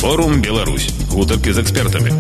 Форум Беларусь. Гутаркі з экспертамі.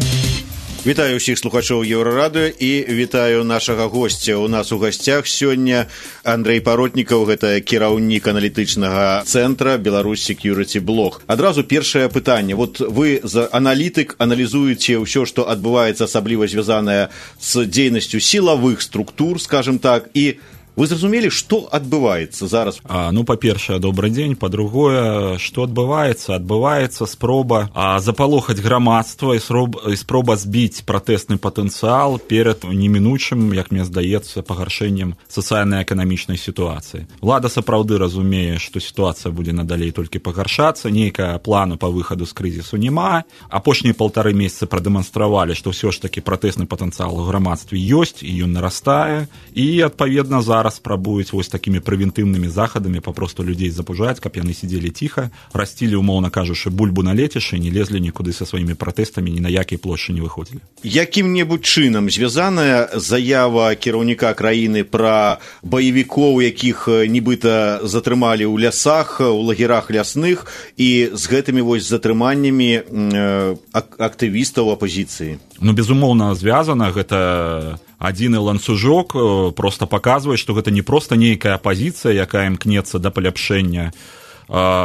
Вітаю ўсіх слухачоў Еўрарадыё і вітаю нашага госця. У нас у гасцях сёння Андрэй Паротнікаў, гэта кіраўнік аналітычнага цэнтра Беларусь Security Blog. Адразу першае пытанне. Вот вы за аналітык аналізуеце ўсё, што адбываецца, асабліва звязанае з дзейнасцю сілавых структур, скажем так, і вы зразумелі, што адбываецца зараз? Па-першае, добрый дзень. Па-другое, што адбываецца? Адбываецца спроба запалохаць грамадства і спроба збіць пратэсны патэнцыял перад немінучым, як мне здаецца, пагаршэннем сацыяльна-эканамічнай сітуацыі. Улада сапраўды разумее, што сітуацыя будзе надалей толькі пагаршацца, нейкага плану па выхаду з крызісу няма. Апошнія 1,5 месяцы прадэманстравалі, што ўсё ж такі пратэсны патэнцыял у грамадстве ёсць, і ён нарастае, і, адпаведна, зараз спрабуюць вось такімі прэвентыўнымі захадамі папросту людзей запужаць, каб яны сидзелі ціха, расцілі, умоўна кажучы, бульбу на лецішчы, не лезлі нікуды са сваімі пратэстамі, ні на якай плошчы не выходзілі. Якім-небудзь чынам звязаная заява кіраўніка краіны пра баевікоў, якіх нібыта затрымалі ў лясах, у лагерах лясных, і з гэтымі вось затрыманнямі актывістаў апазіцыі? Безумоўна, звязана. Гэта адзіны ланцужок, проста паказвае, што гэта не проста нейкая апазіцыя, якая імкнецца да паляпшэння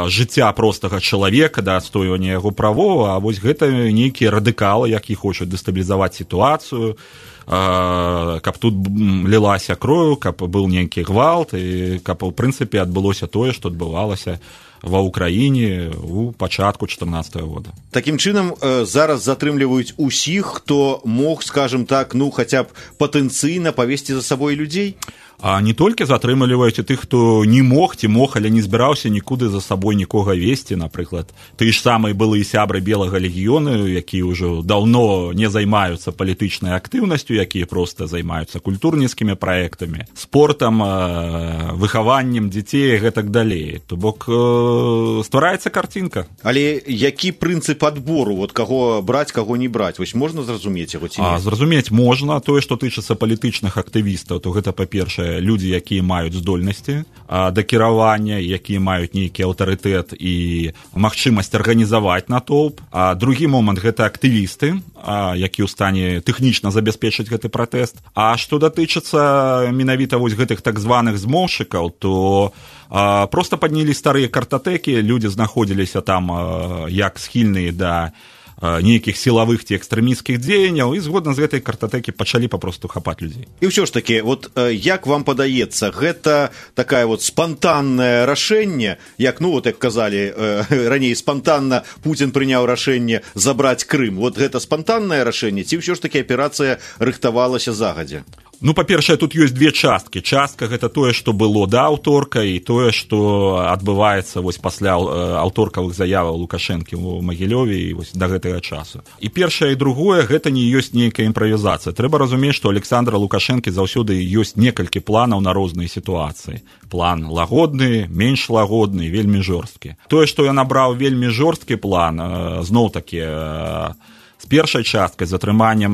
жыцця простага чалавека, да адстойвання яго правоў, а вось гэта нейкія радыкалы, які хочуць дэстабілізаваць сітуацыю, каб тут лілася кроў, каб быў нейкі гвалт, і каб, у прынцыпе, адбылося тое, што адбывалася ва ўкраіне у пачатку 2014 года. Такім чынам, зараз затрымліваюць усіх, хто мог, скажем так, хаця б патэнцыйна павесці за сабой людзей? А не толькі затрымліваюць і тых, хто не мог ці мог, але не збіраўся нікуды за сабой нікога весці, напрыклад. Ты ж самыя былыя сябры Белага легіёну, якія ўжо даўно не займаюцца палітычнай актыўнасцю, якія проста займаюцца культурніцкімі праектамі, спортам, выхаваннем дзяцей і гэтак далей. То бок ствараецца карцінка. Але які прынцып адбору, каго браць, каго не браць? Вось можна зразумець яго ці не? Зразумець можна. Тое, што тычыцца палітычных актывістаў, то гэта, па-першае, людзі, якія маюць здольнасці да кіравання, якія маюць нейкі аўтарытэт і магчымасць арганізаваць натоўп. А другі момант – гэта актывісты, які ў стане тэхнічна забяспечыць гэты пратэст. А што датычыцца менавіта вось гэтых так званых змоўшчыкаў, то проста паднялі старыя картатэкі, людзі знаходзіліся там як схільныя да нейкіх сілавых ці экстрэмісцкіх дзеянняў, і згодна з гэтай картатэкі пачалі папросту хапаць людзей. І ўсё ж такі, як вам падаецца, гэта такая спантаннае рашэнне, як казалі раней, спантанна Пуцін прыняў рашэнне забраць Крым. Гэта спантаннае рашэнне, ці ўсё ж такі аперацыя рыхтавалася загадзя? Па-першае, тут ёсць две часткі. Частка – гэта тое, што было да аўторка, і тое, што адбываецца пасля аўторкавых заяваў Лукашэнкі ў Магілёве і да гэтага часу. І першае і другое – гэта не ёсць нейкая імправізацыя. Трэба разумець, што Александра Лукашэнкі заўсёды ёсць некалькі планаў на розныя сітуацыі. План лагодны, менш лагодны, вельмі жорсткі. Тое, што ён абраў вельмі жорсткі план, зноў-такі, з першай часткай, з атрыманнем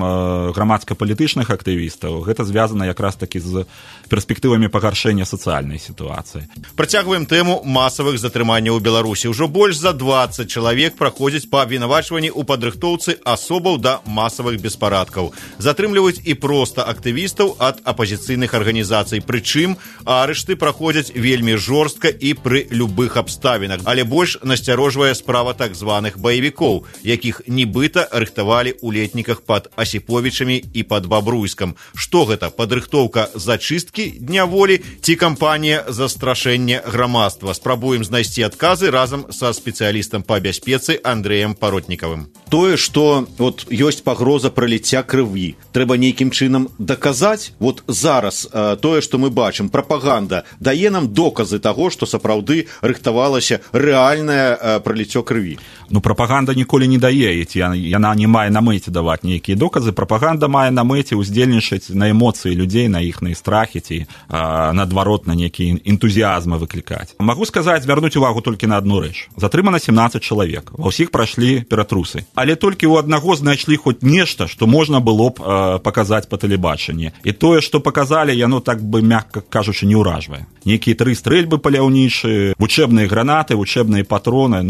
грамадска-палітычных актывістаў, гэта звязана якраз такі з перспектывамі пагаршэння сацыяльнай сітуацыі. Працягваем тэму масавых затрыманняў у Беларусі. Ужо больш за 20 чалавек праходзяць па абвінавачванні ў падрыхтоўцы асобаў да масавых беспарадкаў. Затрымліваюць і проста актывістаў ад апазіцыйных арганізацый. Прычым арышты праходзяць вельмі жорстка і пры любых абставінах. Але больш насцярожвае справа так званых баевікоў, якіх нібыта рыхтавалі ў летніках пад Асіповічамі і пад Бабруйскам. Што гэта? Падрыхтоўка зачысткі дня волі ці кампанія застрашэння грамадства? Спрабуем знайсці адказы разам са спецыялістам па бяспецы Андрэем Паротнікавым. Тое, што ёсць пагроза праліцця крыві, трэба нейкім чынам даказаць. Зараз тое, што мы бачым, прапаганда дае нам доказы таго, што сапраўды рыхтавалася рэальнае праліццё крыві. Прапаганда ніколі не дае, яна не мае на мэце даваць нейкія доказы. Прапаганда мае на мэце ўздзельнічаць на эмоцыі людзей, на іхныя страхі ці, наадварот, на нейкія энтузіязмы выклікаць. Магу сказаць, звярнуць увагу толькі на адну рэч. Затрымана 17 чалавек. Ва ўсіх прайшлі ператрусы. Але толькі ў аднаго знайшлі хоць нешта, што можна было б паказаць па тэлебачанні. І тое, што паказалі, яно, так бы, мякка кажучы, не ўражвае. Нейкія 3 стрэльбы паляўнічыя, вучэбныя гранаты, вучэбныя патроны,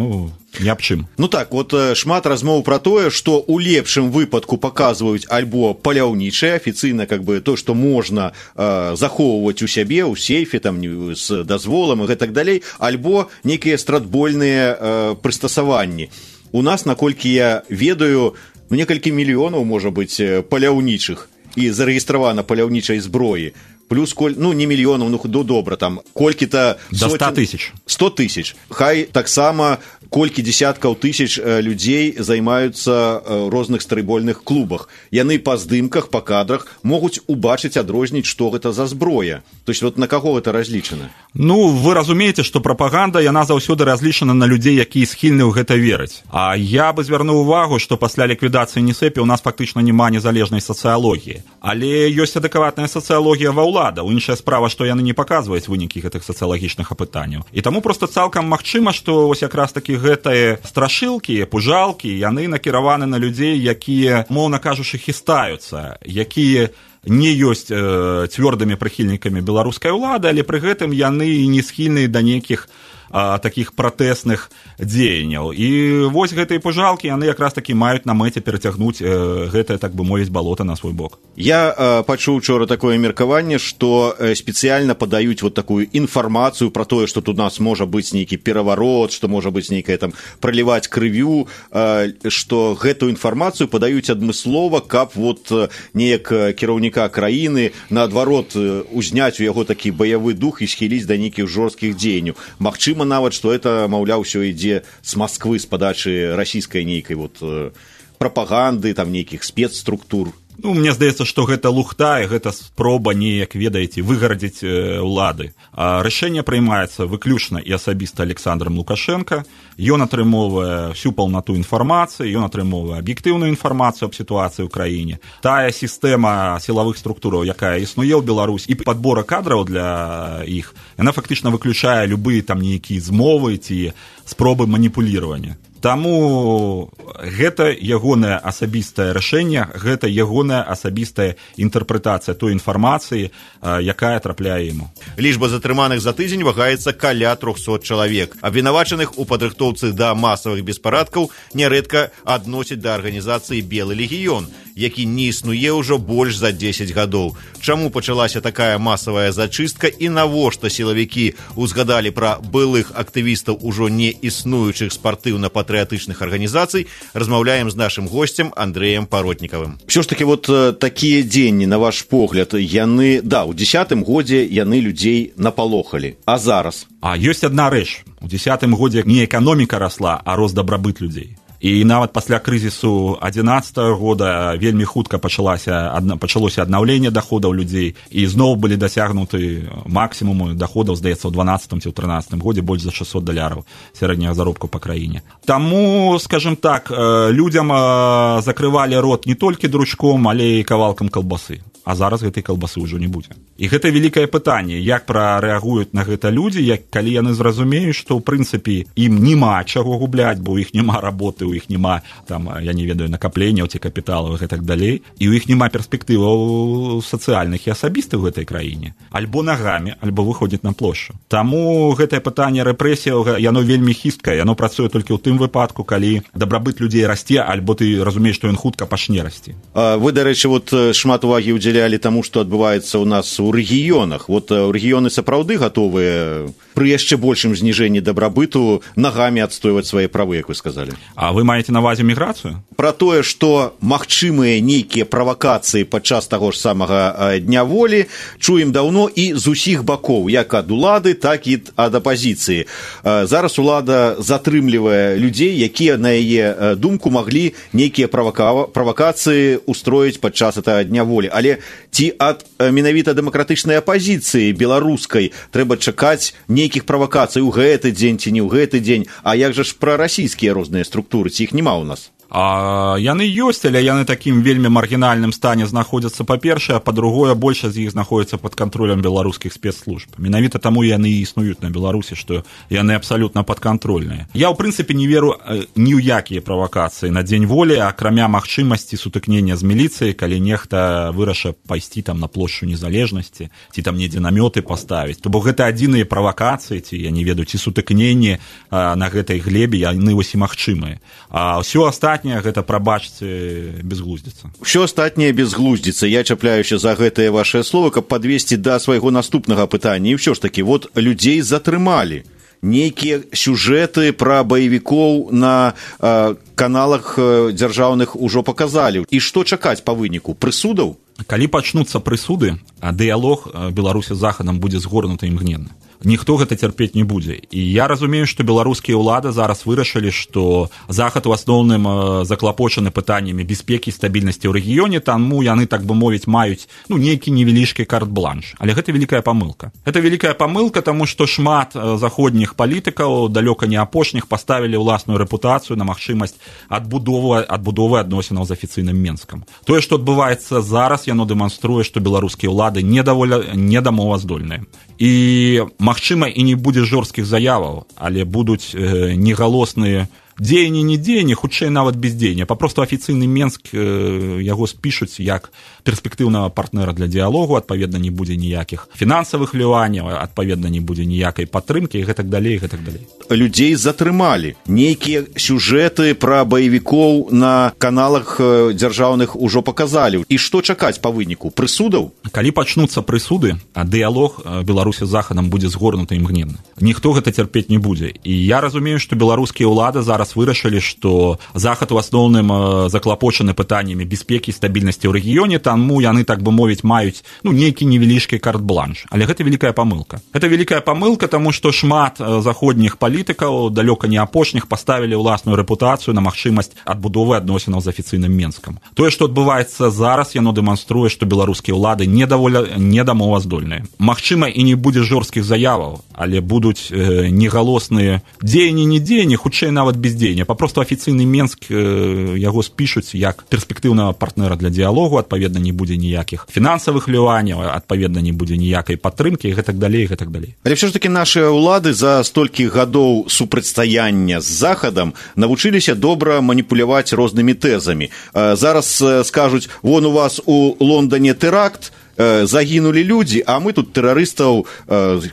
ні аб чым. Ну так, вот шмат размоў пра тое, што ў лепшым выпадку паказваюць альбо паляўнічае, афіцыйна как бы то, што можна захоўваць у сябе, у сейфе, там, з дазволам і гэтак далей, альбо нейкія стратбольныя прыстасаванні. У нас, наколькі я ведаю, некалькі мільёнаў, можа быць, паляўнічых і зарэгістравана паляўнічай зброі. Плюс, не мільёнаў, добра, там, колькі-то... До 100 тысяч. 100 тысяч. Хай таксама колькі дзесяткаў тысяч людзей займаюцца розных стрейбольных клубах. Яны па здымках, па кадрах могуць убачыць, адрозніць, што гэта за зброя. То есть вот на каго гэта разлічана? Ну, вы разумееце, што прапаганда, яна заўсёды разлічана на людзей, якія схільны ў гэта верыць. А я бы звярнуў увагу, што пасля ліквідацыі НСЭП у нас фактычна няма незалежнай сацыялогіі. Але ёсць адэкватная сацыялогія ва ўладаў. Іншая справа, што яны не паказваюць вынікі гэтых сацыялагічных апытанняў. І таму проста цалкам магчыма, што вось якраз такі гэтыя страшылкі, пужалкі, яны накіраваны на людзей, якія, моўна кажучы, хістаюцца, якія не ёсць цвёрдымі прыхільнікамі беларускай улады, але пры гэтым яны не схільныя да нейкіх такіх пратэсных дзеянняў. І вось гэтыя пужалкі, яны якраз такі маюць на мэце перацягнуць гэтае, так бы мовіць, балота на свой бок. Я пачуў учора такое меркаванне, што спецыяльна падаюць вот такую інфармацыю пра тое, што тут у нас можа быць нейкі пераварот, што можа быць нейкае там праліваць крывю, што гэтую інфармацыю падаюць адмыслова, каб вот неяк кіраўніка краіны наадварот узняць у яго такі баявы дух і схіліць да нейкіх жорсткіх дзеянняў. Магчыма нават, што это, маўляў, ўсё ідзе з Масквы, з падачы расійскай нейкай вот прапаганды, там нейкіх спецструктур. Ну, мне здаецца, што гэта лухта, і гэта спроба неяк, ведаеце, выгарадзіць улады. Рашэнне прымаецца выключна і асабіста Александром Лукашенко. Ён атрымоўвае всю паўнату інфармацыі, ён атрымоўвае аб'ектыўную інфармацыю аб сітуацыі ў краіне. Тая сістэма сілавых структураў, якая існуе ў Беларусі, і падбора кадраў для іх, яна фактычна выключае любыя там нейкія змовы ці спробы маніпуліравання. Таму гэта ягонае асабістае рашэнне, гэта ягоная асабістая інтэрпрэтацыя той інфармацыі, якая трапляе яму. Лічба затрыманых за тыдзень вагаецца каля 300 чалавек. Абвінавачаных у падрыхтоўцы да масавых беспарадкаў нярэдка адносяць да арганізацыі «Белы легіён», які не існуе ўжо больш за 10 гадоў. Чаму пачалася такая масавая зачыстка і навошта сілавікі узгадалі пра былых актывістаў ужо не існуючых спартыўна-патрыятычных арганізацый, размаўляем з нашым госцем Андрэем Паротнікавым. Все ж таки вот такія дзенні, на ваш погляд, яны, да, у 10-м годзе яны людзей напалохалі. А зараз? А ёсць адна рэч. У 10-м годзе не эканоміка расла, а рост дабрабыт людзей. І нават пасля крызісу 11-го года вельмі хутка пачалося аднаўленне даходаў людзей, і зноў былі дасягнуты максімумы даходаў, здаецца, у 12-м ці ў 13-м годзе больш за $600 сярэдняга заробку па краіне. Таму, скажем так, людзям закрывалі рот не толькі дручком, але і кавалкам калбасы. А зараз гэтай калбасы ўжо не будзе. І гэта вялікае пытанне, як прарэагуюць на гэта людзі, калі яны зразумеюць, што, ў прынцыпе, ім няма чаго губляць, бо ў іх няма работы, у іх няма, там, я не ведаю, накапленняў ці капіталаў і так далей, і ў іх няма перспектываў сацыяльных і асабістых у гэтай краіне. Альбо нагамі, альбо выходзіць на плошчу. Таму гэтае пытанне рэпрэсіяў, яно вельмі хісткае, яно працуе толькі ў тым выпадку, калі дабрабыт людзей расце, альбо ты разумееш, што ён хутка пачне расці. Вы, дарэчы, вот шмат увагі ўдзялялі таму, што адбываецца ў нас у рэгіёнах. Вот рэгіёны сапраўды гатовыя пры яшчэ большым зніжэнні дабрабыту нагамі адстойваць свае правы, як вы сказалі. А вы маеце на ўвазе міграцыю? Пра тое, што магчымыя нейкія правакацыі падчас таго ж самага дня волі, чуем даўно і з усіх бакоў, як ад улады, так і ад апазіцыі. Зараз улада затрымлівае людзей, якія, на яе думку, маглі нейкія правакацыі устроіць падчас гэтага дня волі. Але ці ад менавіта дэмакратычнай апазіцыі беларускай трэба чакаць нейкіх правакацый у гэты дзень ці не ў гэты дзень, а як жа ж пра расійскія розныя структуры, ці іх няма ў нас? А яны ёсць, але яны такім вельмі маргінальным стане знаходзяцца, па-першае, а па-другое, большасць з іх знаходзіцца пад кантролем беларускіх спецслужб. Менавіта таму яны і існуюць на Беларусі, што яны абсалютна падкантрольныя. Я, ў прынцыпе, не веру ні ў якія правакацыі на дзень волі, акрамя магчымасці сутыкнення з міліцыяй, калі нехта вырашыў пайсці там на плошчу Незалежнасці, ці там недзе намёты паставіць. То бок гэта адзіныя правакацыі, ці, я не ведаю, ці сутыкненні на гэтай глебе, яны вось і магчымыя. А ўсё астатняе гэта, прабачце, безглуздзіца. Усё астатняе безглуздзіца. Я чапляюся за гэтае вашае слово, каб падвесці да свайго наступнага пытання. І ўсё ж такі, вот людзей затрымалі. Нейкія сюжэты пра баевікоў на каналах дзяржаўных ужо паказалі. І што чакаць па выніку? Прысудаў? Калі пачнуцца прысуды, дыялог Беларусі з Захадам будзе згорнуты імгненна. Ніхто гэта цярпець не будзе. І я разумею, што беларускія ўлады зараз вырашылі, што Захад у асноўным заклапочаны пытаннямі бяспекі і стабільнасці ў рэгіёне, таму яны, так бы мовіць, маюць нейкі невялічкі карт-бланш. Але гэта вялікая памылка. Гэта вялікая памылка, таму што шмат заходніх палітыкаў, далёка не апошніх, паставілі ўласную рэпутацыю на магчымасць адбудовы адносінаў з афіцыйным Менскам. Тое, што адбываецца зараз, яно дэманструе, што беларускія ўлады недамоваздольныя. І, магчыма, і не будзе жорсткіх заяваў, але будуць негалосныя дзеянні, не дзеянні, хутчэй нават бездзеяння. Папросту афіцыйны Менск яго спішуць як перспектыўнага партнера для дыялогу, адпаведна, не будзе ніякіх фінансавых ліванняў, адпаведна, не будзе ніякай падтрымкі і гэтак далей, і гэтак далей. Людзей затрымалі. Нейкія сюжэты пра баевікоў на каналах дзяржаўных ужо паказалі. І што чакаць па выніку? Прысудаў? Калі пачнуцца прысуды, дыялог Беларусі з Захадам будзе згорнуты імгненна. Ніхто гэта цярпець не будзе. І я разумею, што беларускія ўлады зараз вырашылі, што Захад у асноўным заклапочаны пытаннямі бяспекі і стабільнасці ў рэгіёне, таму яны, так бы мовіць, маюць нейкі невялічкі карт-бланш. Але гэта вялікая памылка. Гэта вялікая памылка, таму што шмат заходніх палітыкаў, далёка не апошніх, паставілі ўласную рэпутацыю на магчымасць адбудовы адносінаў з афіцыйным Менскам. Тое, што адбываецца зараз, яно дэманструе, што беларускія ўлады недамоваздольныя. Магчыма, і не будзе жорсткіх заяваў, але будуць негалосныя дзеянні, не дзеянні, хутчэй нават бездзеяння. Папросту афіцыйны Менск яго спішуць як перспектыўнага партнера для дыялогу, адпаведна, не будзе ніякіх фінансавых ліванняў, адпаведна, не будзе ніякай падтрымкі і гэтак далей, і гэтак далей. Але ўсё ж такі нашыя ўлады за столькі гадоў супрацьстаяння з Захадам навучыліся добра маніпуляваць рознымі тэзамі. Зараз скажуць, вон у вас у Лондоне тэракт, загінулі людзі, а мы тут тэрарыстаў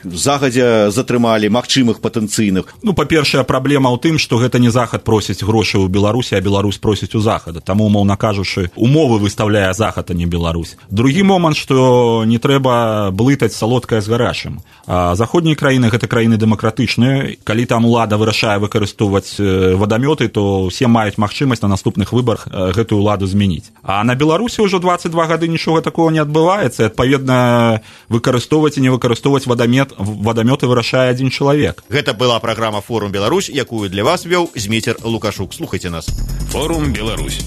загадзя затрымалі, магчымых патэнцыйных. Па-першае, праблема ў тым, што гэта не Захад просіць грошы ў Беларусі, а Беларусь просіць у Захада. Таму, умоўна кажучы, умовы выставляе Захад, а не Беларусь. Другі момант, што не трэба блытаць салодкае з гарачым. Заходнія краіны гэта краіны дэмакратычныя. Калі там улада вырашае выкарыстоўваць вадамёты, то ўсе маюць магчымасць на наступных выбарах гэтую уладу змяніць. А на Беларусі ўжо 22 гады нічога такого не адбываецца. Адпаведна, выкарыстоўваць і не выкарыстоўваць вадамёты вырашае адзін чалавек. Гэта была праграма «Форум Беларусь», якую для вас вёў Зміцер Лукашук. Слухайце нас. «Форум Беларусь».